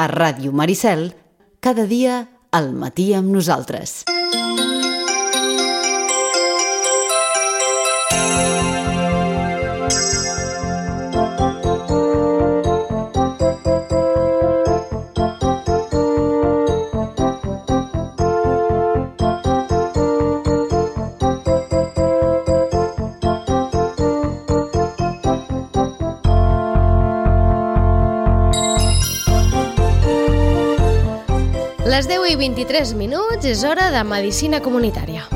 A Ràdio Maricel, cada dia al matí amb nosaltres. Les 10:23 és hora de Medicina Comunitària.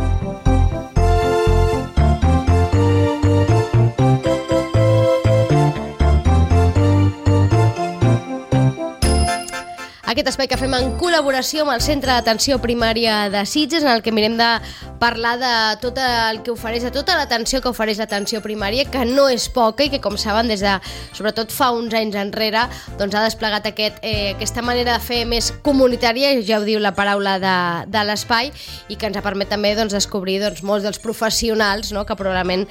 Aquest espai que fem en col·laboració amb el Centre d'Atenció Primària de Sitges, en el que mirem de parlar de tot el que ofereix, de tota l'atenció que ofereix l'atenció primària, que no és poca i que, com saben, des de, sobretot fa uns anys enrere, doncs ha desplegat aquesta manera de fer més comunitària, ja ho diu la paraula de l'espai, i que ens ha permet també descobrir molts dels professionals, no?, que probablement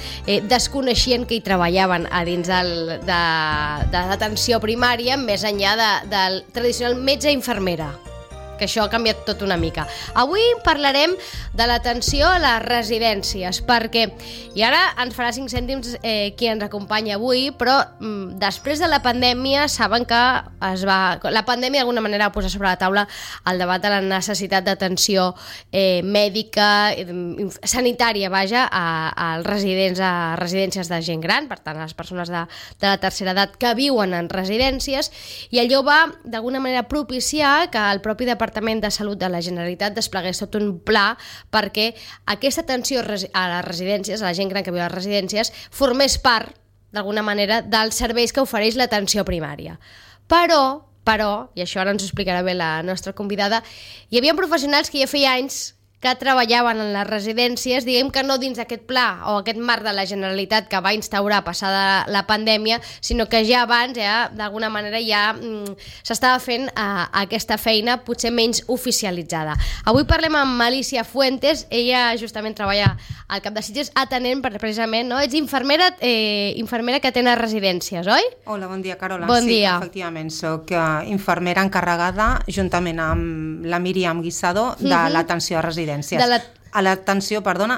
desconeixien que hi treballaven a dins de l'atenció primària, més enllà del tradicional metge infermera, que això ha canviat tot una mica. Avui parlarem de l'atenció a les residències, perquè, i ara ens farà 5 cèntims qui ens acompanya avui, però després de la pandèmia saben que la pandèmia d'alguna manera va posar sobre la taula el debat de la necessitat d'atenció mèdica, sanitària, a residències de gent gran, per tant, a les persones de la tercera edat que viuen en residències, i allò va d'alguna manera propiciar que el propi Departament de Salut de la Generalitat desplegués tot un pla perquè aquesta atenció a les residències, a la gent gran que viu a les residències, formés part, d'alguna manera, dels serveis que ofereix l'atenció primària. Però, i això ara ens ho explicarà bé la nostra convidada, hi havia professionals que ja feia anys que treballaven en les residències, diguem que no dins d'aquest pla o aquest marc de la Generalitat que va instaurar passada la pandèmia, sinó que ja abans, d'alguna manera, ja s'estava fent aquesta feina potser menys oficialitzada. Avui parlem amb Alícia Fuentes, ella justament treballa al CAP de Sitges atenent precisament, no? Ets infermera que atén a residències, oi? Hola, bon dia, Carola. Bon dia. Sí, efectivament, soc infermera encarregada, juntament amb la Míriam Guisado, de l'atenció a residències.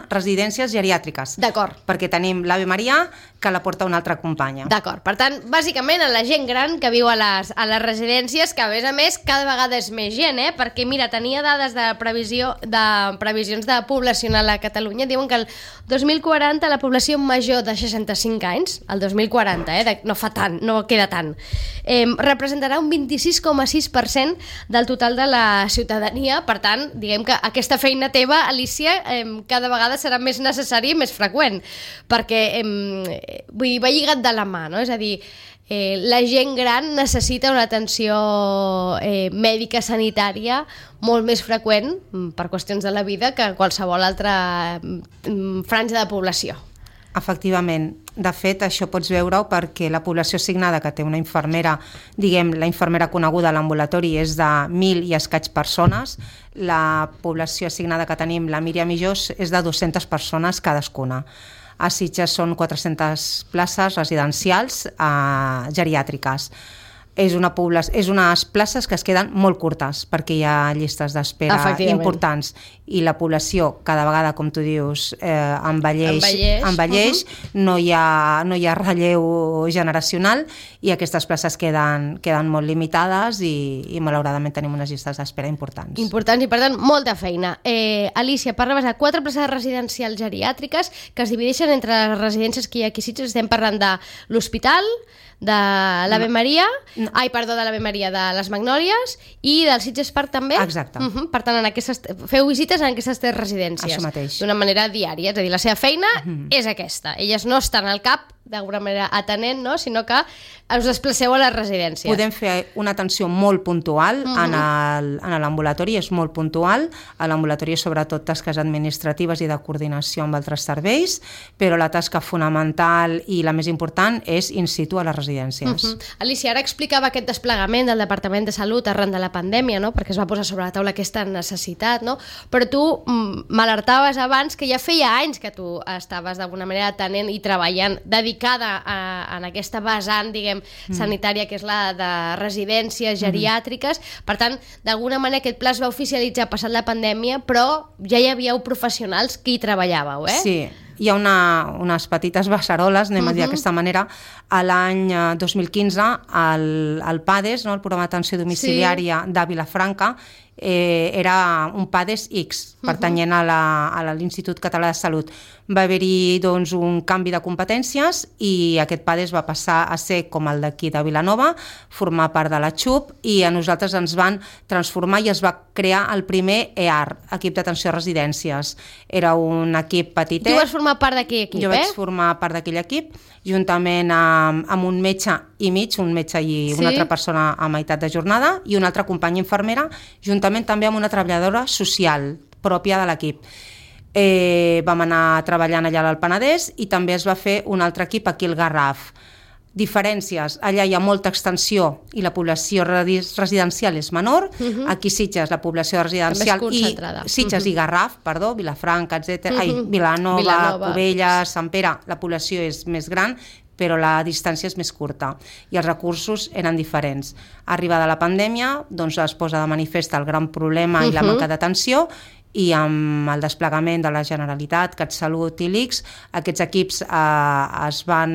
Residències geriàtriques. D'acord. Perquè tenim l'Ave Maria, que la porta una altra companya. D'acord. Per tant, bàsicament, a la gent gran que viu a les residències, que a més cada vegada és més gent, perquè, mira, tenia dades de previsions de poblacional a Catalunya, diuen que el 2040 la població major de 65 anys, el 2040, no fa tant, no queda tant, representarà un 26,6% del total de la ciutadania. Per tant, diguem que aquesta feina teva, Alícia, cada vegada serà més necessari i més freqüent, perquè va lligat de la mà, no? És a dir, la gent gran necessita una atenció mèdica sanitària molt més freqüent per qüestions de la vida que qualsevol altra franja de població. Efectivament. De fet, això pots veure-ho perquè la població assignada que té una infermera, diguem, la infermera coneguda a l'ambulatori és de 1.000 i escaig persones, la població assignada que tenim, la Míriam i jo, és de 200 persones cadascuna. A Sitges són 400 places residencials geriàtriques. És unes places que es queden molt curtes perquè hi ha llistes d'espera importants i la població cada vegada, com tu dius, envelleix, no hi ha relleu generacional i aquestes places queden molt limitades i malauradament tenim unes llistes d'espera importants. Importants i per tant molta feina. Alícia, parlaves de 4 places residencials geriàtriques que es divideixen entre les residències que hi ha aquí a Sitges. Estem parlant de l'hospital, de l'Ave Maria, de l'Ave Maria de les Magnòlies i del Sitges Park també? Exacte. Per tant, feu visites en aquestes 3 residències. Això mateix. D'una manera diària, és a dir, la seva feina és aquesta. Elles no estan al CAP d'alguna manera atenent, no? Sinó que us desplaceu a les residències. Podem fer una atenció molt puntual en l'ambulatori, és molt puntual. A l'ambulatori és sobretot tasques administratives i de coordinació amb altres serveis, però la tasca fonamental i la més important és in situ a les residències. Alícia, ara explicava aquest desplegament del Departament de Salut arran de la pandèmia, no? Perquè es va posar sobre la taula aquesta necessitat, no? Però tu m'alertaves abans que ja feia anys que tu estaves d'alguna manera atenent i treballant, dedicant dedicada en aquesta vessant, diguem, sanitària, que és la de residències geriàtriques. Per tant, d'alguna manera aquest pla es va oficialitzar passat la pandèmia, però ja hi havíeu professionals que hi treballàveu, eh? Sí, hi ha unes petites beceroles, anem a dir d'aquesta manera. A l'any 2015, el PADES, el Programa d'Atenció Domiciliària de Vilafranca, era un PADES X, pertanyent a l'Institut Català de Salut. Va haver-hi doncs, un canvi de competències i aquest PADES va passar a ser com el d'aquí de Vilanova, formar part de la XUP, i a nosaltres ens van transformar i es va crear el primer EAR, Equip d'Atenció a Residències. Era un equip petitet. Tu vas formar part d'aquell equip, Jo vaig formar part d'aquell equip, juntament amb un metge i mig, un metge i una altra persona a meitat de jornada, i una altra companya infermera, juntament també amb una treballadora social pròpia de l'equip. Vam anar treballant allà al Penedès i també es va fer un altre equip aquí al Garraf. Diferències, allà hi ha molta extensió i la població residencial és menor. Aquí Sitges, la població residencial Sitges i Garraf, perdó, Vilafranca, Vilanova, Cubelles, Sant Pere, la població és més gran, però la distància és més curta i els recursos eren diferents. Arribada la pandèmia, doncs es posa de manifest el gran problema i la manca d'atenció, i amb el desplegament de la Generalitat, CatSalut i l'ICS, aquests equips es van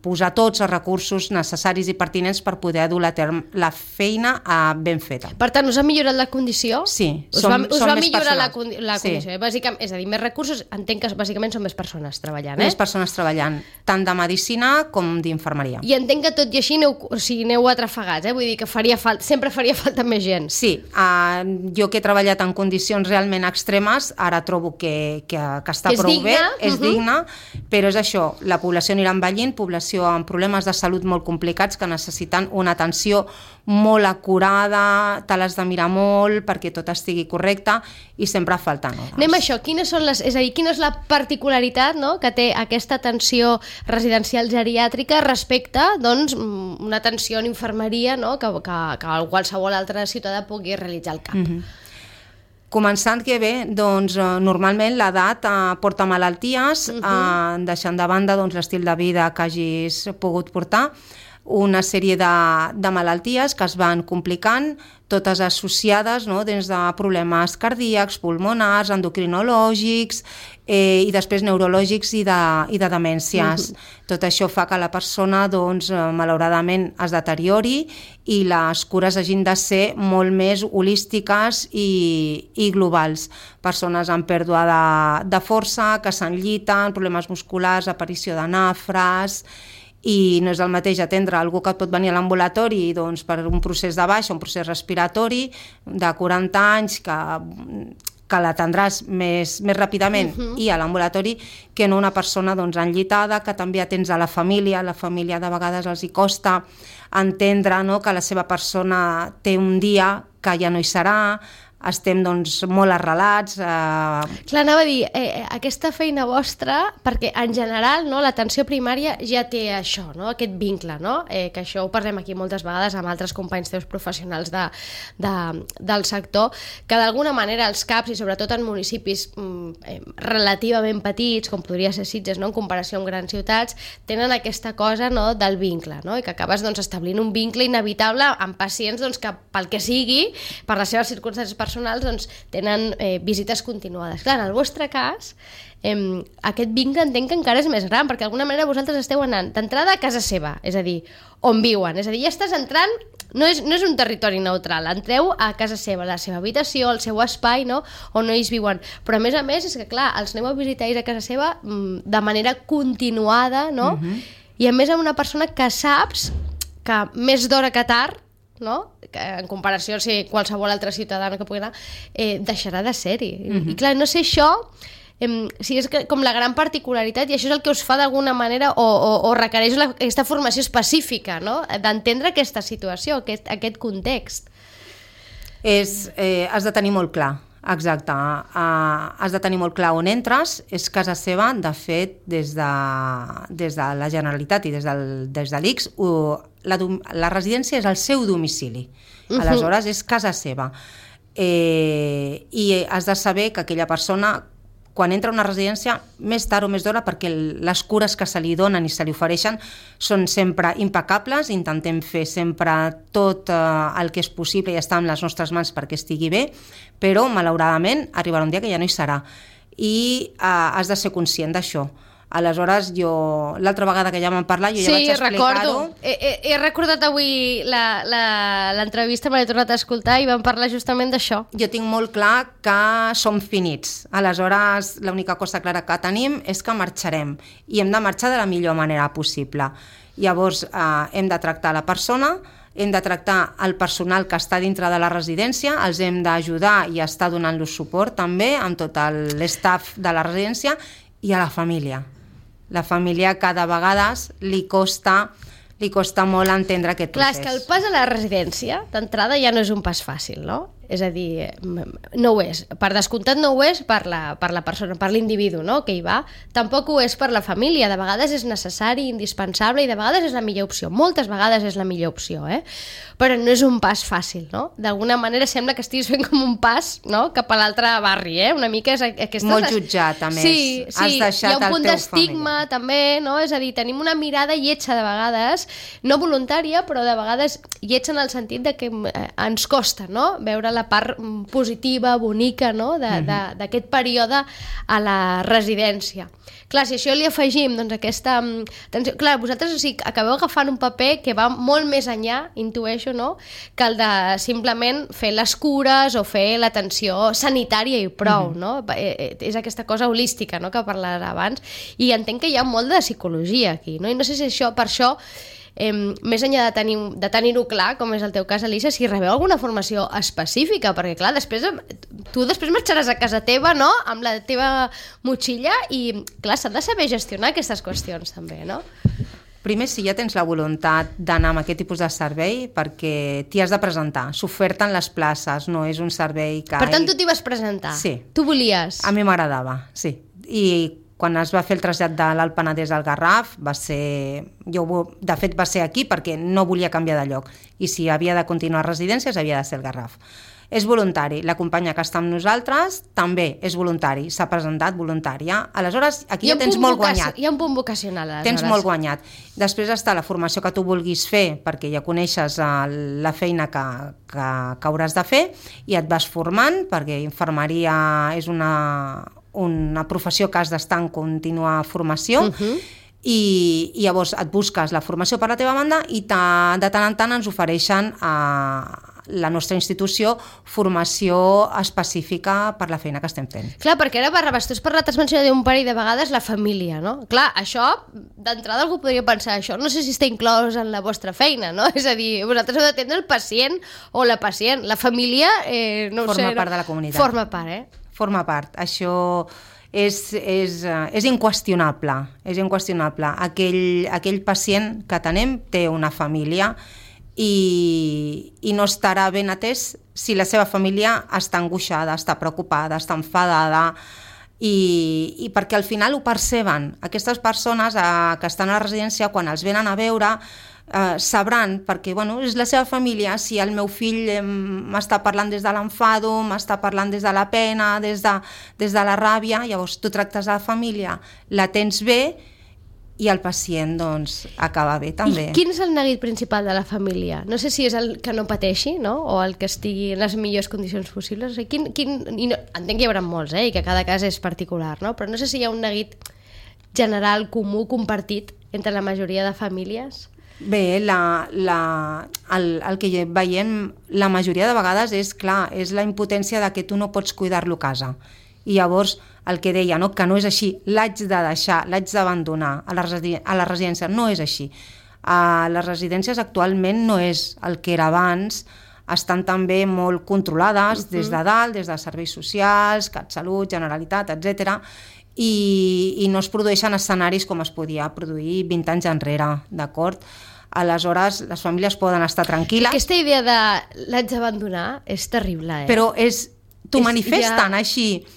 posar tots els recursos necessaris i pertinents per poder dur a terme la feina ben feta. Per tant, us ha millorat la condició? Sí, us va millorar la condició. Bàsicament, és a dir, més recursos, entenc que bàsicament són més persones treballant. Més persones treballant, tant de medicina com d'infermeria. I entenc que tot i així aneu atrafegats, vull dir que sempre faria falta més gent. Sí, jo que he treballat en condicions realment extremes, ara trobo que està prou bé, és digna, però és això, la població anirà envellint, població amb problemes de salut molt complicats que necessiten una atenció molt acurada, te l'has de mirar molt perquè tot estigui correcte i sempre falten hores. Anem a això, quina és la particularitat que té aquesta atenció residencial geriàtrica respecte doncs, una atenció en infermeria que qualsevol altre ciutadà pugui realitzar al camp? Començant que bé, doncs, normalment l'edat porta malalties, deixant de banda l'estil de vida que hagis pogut portar, una sèrie de malalties que es van complicant, totes associades des de problemes cardíacs, pulmonars, endocrinològics i després neurològics i de demències. Tot això fa que la persona, malauradament, es deteriori i les cures hagin de ser molt més holístiques i globals. Persones amb pèrdua de força, que s'enlliten, problemes musculars, aparició de nafres, i no és el mateix atendre algú que et pot venir a l'ambulatori per un procés de baixa, un procés respiratori de 40 anys que l'atendràs més ràpidament i a l'ambulatori que no una persona enllitada, que també atens a la família de vegades els hi costa entendre que la seva persona té un dia que ja no hi serà, estem molt arrelats. Clar, anava a dir, aquesta feina vostra, perquè en general l'atenció primària ja té això, aquest vincle, que això ho parlem aquí moltes vegades amb altres companys teus professionals del sector, que d'alguna manera els CAPs, i sobretot en municipis relativament petits, com podria ser Sitges, en comparació amb grans ciutats, tenen aquesta cosa del vincle, i que acabes establint un vincle inevitable amb pacients que pel que sigui, per les seves circumstàncies personals, tenen visites continuades. Clar, en el vostre cas, aquest vincle entenc que encara és més gran, perquè d'alguna manera vosaltres esteu anant d'entrada a casa seva, és a dir, on viuen. És a dir, ja estàs entrant, no és un territori neutral, entreu a casa seva, la seva habitació, el seu espai, on ells viuen. Però a més, és que clar, els aneu a visitar a casa seva de manera continuada, i a més amb una persona que saps que més d'hora que tard, que en comparació a qualsevol altre ciutadà que pugui anar, deixarà de ser-hi. I clar, no sé això, és com la gran particularitat, i això és el que us fa d'alguna manera o requereix aquesta formació específica, d'entendre aquesta situació, aquest context. Has de tenir molt clar, exacte, has de tenir molt clar on entres. És casa seva, de fet, des de la Generalitat i des de l'ICS, la residència és el seu domicili, aleshores és casa seva, i has de saber que aquella persona, quan entra a una residència, més tard o més d'hora, perquè les cures que se li donen i se li ofereixen són sempre impecables, intentem fer sempre tot el que és possible i estar en les nostres mans perquè estigui bé, però malauradament arribarà un dia que ja no hi serà i has de ser conscient d'això. Aleshores, l'altra vegada que ja vam parlar, jo ja vaig explicar-ho. He recordat avui l'entrevista, me l'he tornat a escoltar i vam parlar justament d'això. Jo tinc molt clar que som finits. Aleshores, l'única cosa clara que tenim és que marxarem i hem de marxar de la millor manera possible. Llavors, hem de tractar la persona, hem de tractar el personal que està dintre de la residència, els hem d'ajudar i estar donant-los suport també amb tot l'estaf de la residència i a la família. La família cada vegada li costa molt entendre aquest procés. Clar, és que el pas a la residència, d'entrada, ja no és un pas fàcil, no? És a dir, no ho és. Per descomptat no ho és per la persona, per l'individu, no?, que hi va. Tampoc ho és per la família. De vegades és necessari, indispensable, i de vegades és la millor opció. Moltes vegades és la millor opció, però no és un pas fàcil, no? D'alguna manera sembla que estiguis fent com un pas, no?, cap a l'altre barri, Una mica és aquesta... Molt jutjat, a més. Sí, has deixat hi ha un punt d'estigma, família. també, no? És a dir, tenim una mirada lletja de vegades, no voluntària, però de vegades lletja en el sentit de que ens costa, no?, veure la part positiva, bonica, no?, d'aquest període a la residència. Clar, si això li afegim doncs, aquesta... Clar, vosaltres acabeu agafant un paper que va molt més enllà, intueixo, no?, que el de simplement fer les cures o fer l'atenció sanitària i prou, no? És aquesta cosa holística, no?, que parlaves abans, i entenc que hi ha molt de psicologia aquí, no? I no sé si això, per això, més enllà de tenir-ho clar, com és el teu cas, Elisa, si rebeu alguna formació específica, perquè clar, tu després marxaràs a casa teva, no?, amb la teva motxilla i clar, s'ha de saber gestionar aquestes qüestions també, no? Primer, si ja tens la voluntat d'anar amb aquest tipus de servei, perquè t'hi has de presentar, s'oferten les places, no és un servei que... Per tant, tu t'hi vas presentar? Sí. Tu volies? A mi m'agradava, sí. I quan es va fer el trasllat de l'Alt Penedès al Garraf, de fet va ser aquí perquè no volia canviar de lloc, i si havia de continuar a residències havia de ser el Garraf. És voluntari, la companya que està amb nosaltres també és voluntari, s'ha presentat voluntària, aleshores aquí ja tens molt guanyat. Hi ha un punt vocacional, aleshores. Tens molt guanyat. Després està la formació que tu vulguis fer, perquè ja coneixes la feina que hauràs de fer, i et vas formant, perquè infermeria és una professió que has d'estar en contínua formació, i llavors et busques la formació per la teva banda i de tant en tant ens ofereixen a la nostra institució formació específica per la feina que estem fent. Clar, perquè ara tu has parlat, has mencionat un parell de vegades la família, no? Clar, això, d'entrada algú podria pensar això, no sé si està inclòs en la vostra feina, no? És a dir, vosaltres heu d'atendre el pacient o la pacient, la família, no ho sé... Forma part de la comunitat. Forma part, Forma part, això és inqüestionable, aquell pacient que tenem té una família i no estarà ben atès si la seva família està angoixada, està preocupada, està enfadada, i perquè al final ho perceben. Aquestes persones que estan a la residència, quan els venen a veure, sabran, perquè és la seva família, si el meu fill m'està parlant des de l'enfado, m'està parlant des de la pena, des de la ràbia, llavors tu tractes a la família, la tens bé, i el pacient acaba bé també. I quin és el neguit principal de la família? No sé si és el que no pateixi, no?, o el que estigui en les millors condicions possibles. O sigui, entenc que hi haurà molts, i que cada cas és particular, no? Però no sé si hi ha un neguit general, comú, compartit entre la majoria de famílies. Bé, el que veiem la majoria de vegades és la impotència de que tu no pots cuidar-lo a casa. I llavors el que deia, que no és així, l'haig de deixar, l'haig d'abandonar a la residència, no és així. A les residències actualment no és el que era abans, estan també molt controlades des de dalt, des de serveis socials, CatSalut, Generalitat, etc. I no es produeixen escenaris com es podia produir 20 anys enrere, d'acord? Aleshores, les famílies poden estar tranquil·les. Aquesta idea de l'haig d'abandonar és terrible, Però t'ho manifesten així.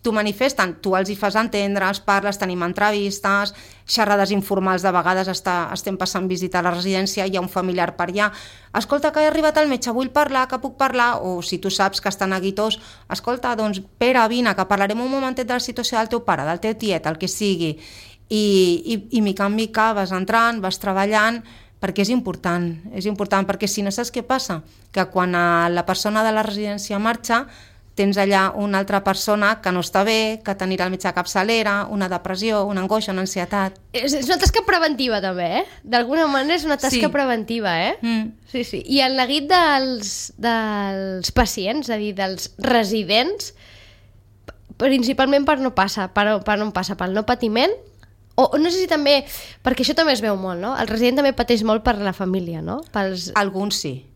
t'ho manifesten, tu els hi fas entendre, els parles, tenim entrevistes, xerrades informals, de vegades estem passant visita a la residència, hi ha un familiar per allà, escolta, que he arribat al metge, vull parlar, que puc parlar, o si tu saps que estan neguitós, escolta, doncs Pere, vine, que parlarem un momentet de la situació del teu pare, del teu tiet, el que sigui, i mica en mica vas entrant, vas treballant, perquè és important, perquè si no saps què passa, que quan la persona de la residència marxa, tens allà una altra persona que no està bé, que t'anirà al metge de capçalera, una depressió, una angoixa, una ansietat. És una tasca preventiva també, D'alguna manera és una tasca preventiva, Sí. I el neguit dels pacients, és a dir, dels residents, principalment per no pel no patiment, o no sé si també, perquè això també es veu molt, no? El resident també pateix molt per la família, no? Alguns sí.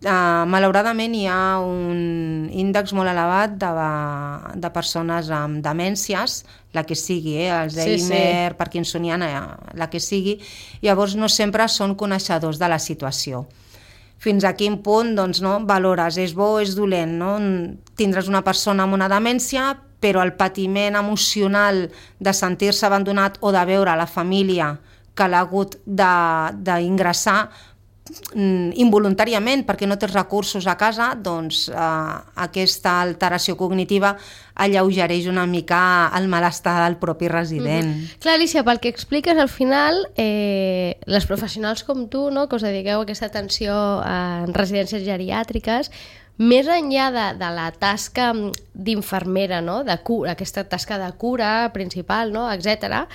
Malauradament hi ha un índex molt elevat de persones amb demències, la que sigui, Alzheimer, Parkinsoniana, la que sigui, llavors no sempre són coneixedors de la situació. Fins a quin punt valores, és bo o és dolent, no? Tindràs una persona amb una demència, però el patiment emocional de sentir-se abandonat o de veure la família que l'ha hagut d'ingressar involuntàriament perquè no tens recursos a casa, doncs aquesta alteració cognitiva alleugereix una mica el malestar del propi resident. Clar, Alicia, pel que expliques, al final les professionals com tu, no, que us dediqueu a aquesta atenció en residències geriàtriques, més enllà de la tasca d'infermera, no, de cura, aquesta tasca de cura principal, no, etc.,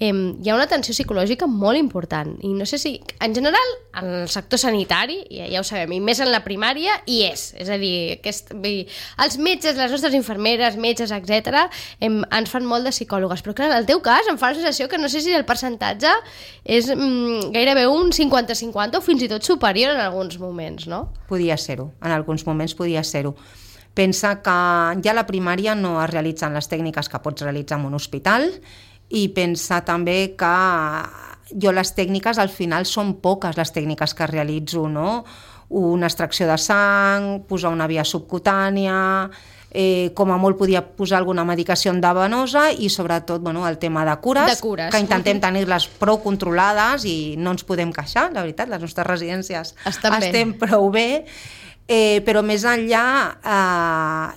hi ha una atenció psicològica molt important, i no sé si, en general, en el sector sanitari, ja ho sabem, i més en la primària, hi és a dir, els metges, les nostres infermeres, metges, etc., ens fan molt de psicòlogues, però clar, en el teu cas em fa la sensació que no sé si el percentatge és gairebé un 50-50 o fins i tot superior en alguns moments, no? Podia ser-ho, en alguns moments podia ser-ho. Pensa que ja a la primària no es realitzen les tècniques que pots realitzar en un hospital, i pensa també que jo les tècniques al final són poques les tècniques que realitzo, no? Una extracció de sang, posar una via subcutània, com a molt podia posar alguna medicació endovenosa i sobretot el tema de cures, que intentem tenir-les prou controlades i no ens podem queixar, la veritat, les nostres residències estem prou bé. Però més enllà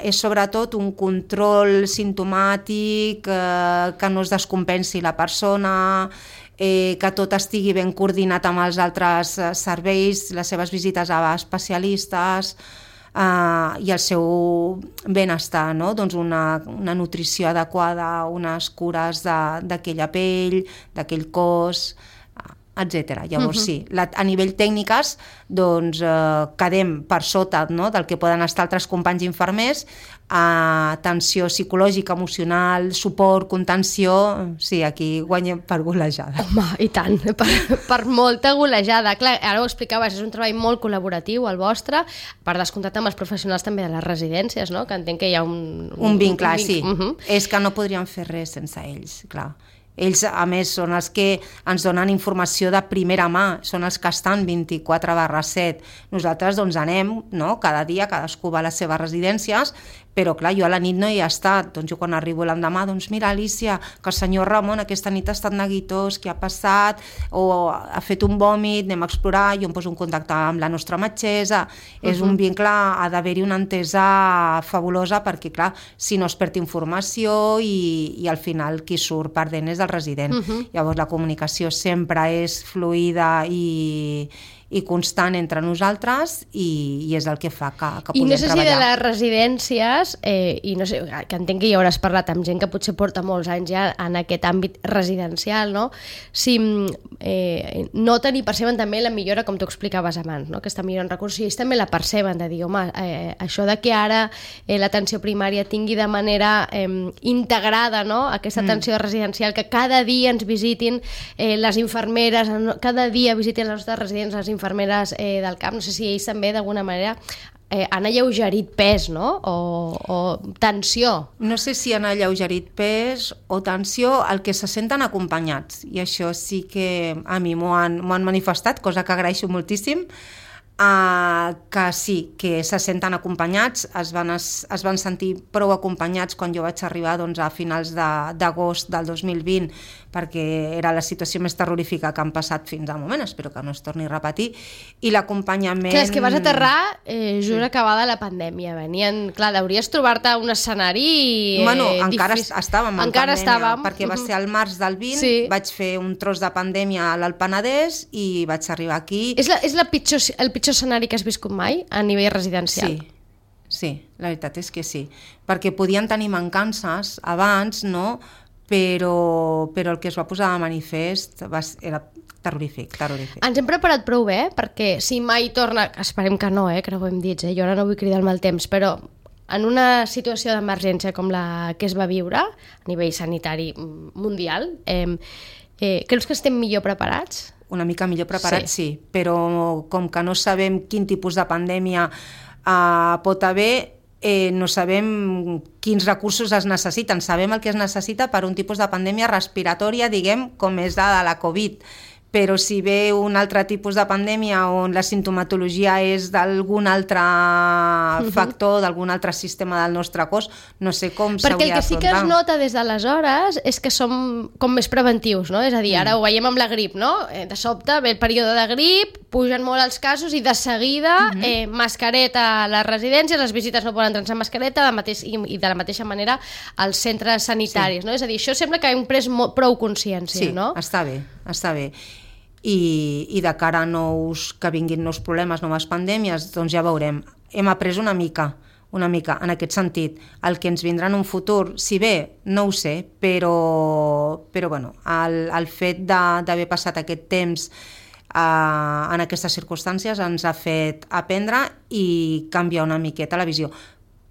és sobretot un control simptomàtic, que no es descompensi la persona, que tot estigui ben coordinat amb els altres serveis, les seves visites a especialistes i el seu benestar, no? Doncs una nutrició adequada, unes cures d'aquella pell, d'aquell cos, etc. Llavors sí, a nivell tècniques doncs quedem per sota, no, del que poden estar altres companys infermers, atenció psicològica, emocional, suport, contenció, sí, aquí guanyem per golejada. Home, i tant, per molta golejada. Clar, ara ho explicaves, és un treball molt col·laboratiu el vostre, per descomptat amb els professionals també de les residències, no? Que entenc que hi ha un vincle, sí. És que no podríem fer res sense ells, clar. Ells, a més, són els que ens donen informació de primera mà, són els que estan 24/7. Nosaltres doncs anem, no? Cada dia, cadascú va a les seves residències, però clar, jo a la nit no hi he estat. Doncs jo quan arribo l'endemà, doncs mira, Alicia, que el senyor Ramon aquesta nit ha estat neguitós, què ha passat, o ha fet un vòmit, anem a explorar, jo em poso en contacte amb la nostra metgessa. És un vincle, ha d'haver-hi una entesa fabulosa, perquè clar, si no es perd informació i al final qui surt perdent és el resident. Llavors la comunicació sempre és fluida i constant entre nosaltres i és el que fa que podem treballar. I no sé si de les residències, i no sé, que entenc que ja hauràs parlat amb gent que potser porta molts anys ja en aquest àmbit residencial, no? Si noten i perceben també la millora, com tu explicaves abans, no? Aquesta millora en recursos, i ells també la perceben, de dir, home, això de que ara l'atenció primària tingui de manera integrada, no? Aquesta atenció residencial, que cada dia ens visitin les infermeres, cada dia visitin els nostres residents, les infermeres del camp, no sé si ells també d'alguna manera han alleugerit pes, no? O tensió. No sé si han alleugerit pes o tensió, el que se senten acompanyats, i això sí que a mi m'ho han manifestat, cosa que agraeixo moltíssim, que sí, que se senten acompanyats, es van sentir prou acompanyats quan jo vaig arribar a finals d'agost del 2020, perquè era la situació més terrorífica que han passat fins al moment, espero que no es torni a repetir, i l'acompanyament... Clar, és que vas aterrar just acabada la pandèmia, clar, hauries trobar-te un escenari encara estàvem en pandèmia, perquè va ser al març del 20, sí. Vaig fer un tros de pandèmia a l'Alt Penedès i vaig arribar aquí... És el pitjor escenari que has viscut mai a nivell residencial? Sí, la veritat és que sí, perquè podien tenir mancances abans, no? Però el que es va posar de manifest era terrorífic. Ens hem preparat prou bé, perquè si mai torna, esperem que no, que no ho hem dit, jo ara no vull cridar el mal temps, però en una situació d'emergència com la que es va viure a nivell sanitari mundial, creus que estem millor preparats? Una mica millor preparats, sí, però com que no sabem quin tipus de pandèmia pot haver, no sabem quins recursos es necessiten. Sabem el que es necessita per un tipus de pandèmia respiratòria, diguem, com és la Covid. Però si ve un altre tipus de pandèmia on la sintomatologia és d'algun altre factor, d'algun altre sistema del nostre cos, no sé com s'hauria d'afrontar. Perquè el que sí que es nota des d'aleshores és que som com més preventius, no? És a dir, ara ho veiem amb la grip, no? De sobte ve el període de grip, pugen molt els casos i de seguida mascareta a les residències, les visites no poden entrar sense mascareta i de la mateixa manera als centres sanitaris, no? És a dir, això sembla que hem pres prou consciència, no? Sí, està bé. I de cara a que vinguin nous problemes, noves pandèmies, doncs ja veurem. Hem après una mica en aquest sentit. El que ens vindrà en un futur, si bé, no ho sé, però bueno, el fet d'haver passat aquest temps en aquestes circumstàncies ens ha fet aprendre i canviar una miqueta la visió.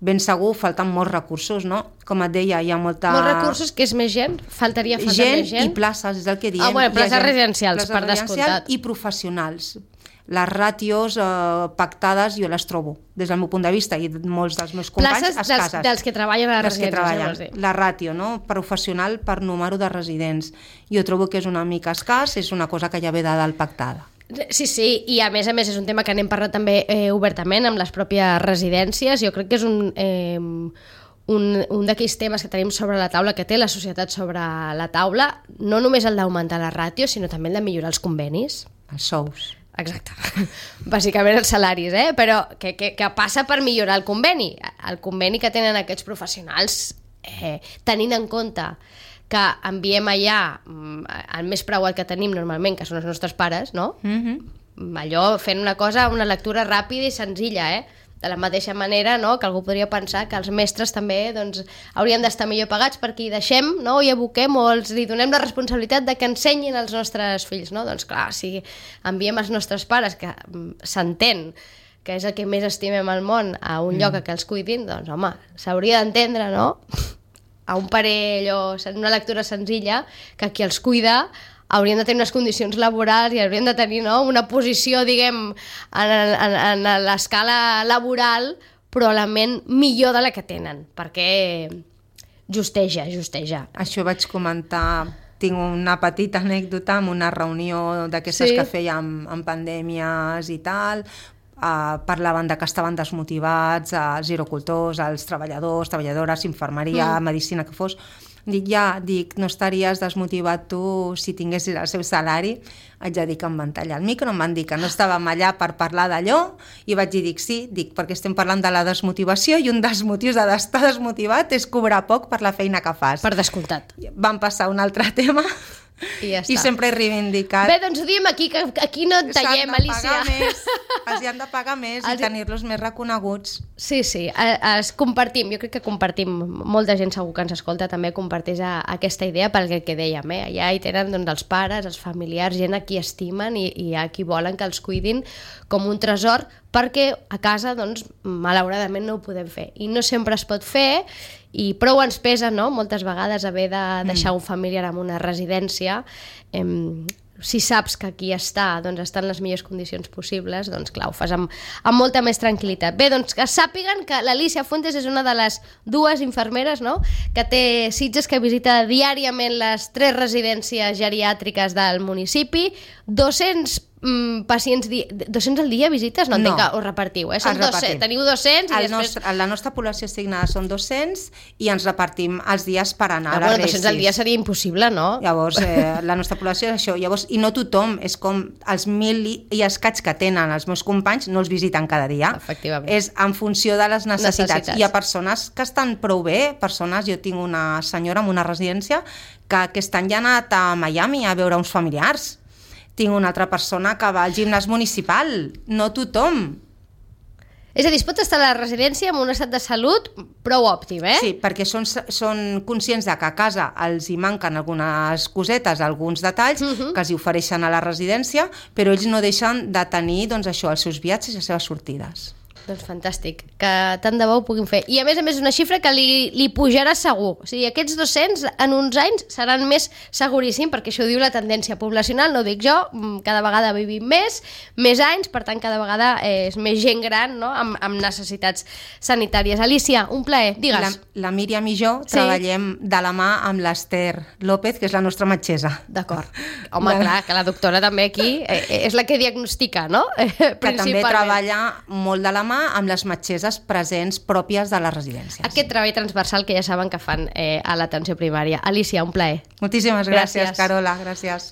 Ben segur, falten molts recursos, no? Com et deia, hi ha molta... Molts recursos, que és més gent? Faltaria més gent? I places, és el que diem. Places residencials, per descomptat. I professionals. Les ràtios pactades jo les trobo, des del meu punt de vista i molts dels meus companys, escasses. Dels que treballen a les residències. La ràtio, no? Professional per número de residents. Jo trobo que és una mica escàs, és una cosa que ja ve de dalt pactada. Sí, i a més és un tema que n'hem parlat també obertament amb les pròpies residències. Jo crec que és un d'aquells temes que tenim sobre la taula, que té la societat sobre la taula, no només el d'augmentar la ràtio, sinó també el de millorar els convenis. Els sous. Exacte, bàsicament els salaris, però que passa per millorar el conveni que tenen aquests professionals, tenint en compte que enviem allà el més preuat que tenim normalment, que són els nostres pares, no? Allò fent una lectura ràpida i senzilla, de la mateixa manera, no? Que algú podria pensar que els mestres també haurien d'estar millor pagats perquè hi deixem, no? I aboquem o li donem la responsabilitat de que ensenyin als nostres fills, no? Doncs clar, si enviem els nostres pares, que s'entén que és el que més estimem al món, a un lloc a què els cuidin, doncs home, s'hauria d'entendre, no? A un parell o una lectura senzilla, que qui els cuida haurien de tenir unes condicions laborals i haurien de tenir, no, una posició, diguem, en l'escala laboral probablement millor de la que tenen, perquè justeja. Això vaig comentar, tinc una petita anècdota en una reunió d'aquestes que fèiem en pandèmies i tal. Parlaven de que estaven desmotivats els girocultors, els treballadors, treballadores, infermeria, medicina que fos. Dic, no estaries desmotivat tu si tinguessis el seu salari? Haig de dir que em van tallar el micro, em van dir que no estàvem allà per parlar d'allò i vaig dir, sí, perquè estem parlant de la desmotivació i un dels motius d'estar desmotivat és cobrar poc per la feina que fas. Per descomptat. Van passar a un altre tema i sempre he reivindicat. Bé, doncs ho diem aquí, que aquí no et tallem, Alicia. Els hi han de pagar més i tenir-los més reconeguts. Sí, compartim, jo crec que compartim, molta gent segur que ens escolta també comparteix aquesta idea pel que dèiem, allà hi tenen doncs, els pares, els familiars, gent a qui estimen i a qui volen que els cuidin com un tresor, perquè a casa, doncs, malauradament no ho podem fer i no sempre es pot fer i prou ens pesa, no?, moltes vegades haver de deixar un familiar en una residència. Si saps que aquí està en les millors condicions possibles, doncs clar, ho fas amb molta més tranquil·litat. Bé, doncs que sàpiguen que l'Alicia Fuentes és una de les 2 infermeres, no?, que té Sitges, que visita diàriament les 3 residències geriàtriques del municipi, 200 pacients... 200 al dia visites? No entenc que us repartiu, Són 200, teniu 200 i després... La nostra població assignada són 200 i ens repartim els dies per anar. Bueno, 200 al dia seria impossible, no? Llavors, la nostra població és això. Llavors, i no tothom, és com els 1.000 i escaig que tenen els meus companys no els visiten cada dia. Efectivament. És en funció de les necessitats. Hi ha persones que estan prou bé, jo tinc una senyora en una residència que aquest any ja ha anat a Miami a veure uns familiars. Tinc una altra persona que va al gimnàs municipal. No tothom. És a dir, es pot estar a la residència amb un estat de salut prou òptim, Sí, perquè són conscients de que a casa els hi manquen algunes cosetes, alguns detalls que els hi ofereixen a la residència, però ells no deixen de tenir doncs, això, els seus viatges i les seves sortides. Doncs fantàstic, que tant de bo ho puguin fer. I a més és una xifra que li pujarà segur. O sigui, aquests 200 en uns anys seran més seguríssim, perquè això ho diu la tendència poblacional, no ho dic jo, cada vegada vivim més anys, per tant cada vegada és més gent gran, no? amb necessitats sanitàries. Alicia, un plaer, digues. La Míriam i jo treballem de la mà amb l'Ester López, que és la nostra metgessa. D'acord. Home, clar, que la doctora també aquí és la que diagnostica, no? Que també treballa molt de la mà amb les metgesses presents pròpies de les residències. Aquest treball transversal que ja saben que fan a l'atenció primària. Alicia, un plaer. Moltíssimes gràcies, Carola. Gràcies.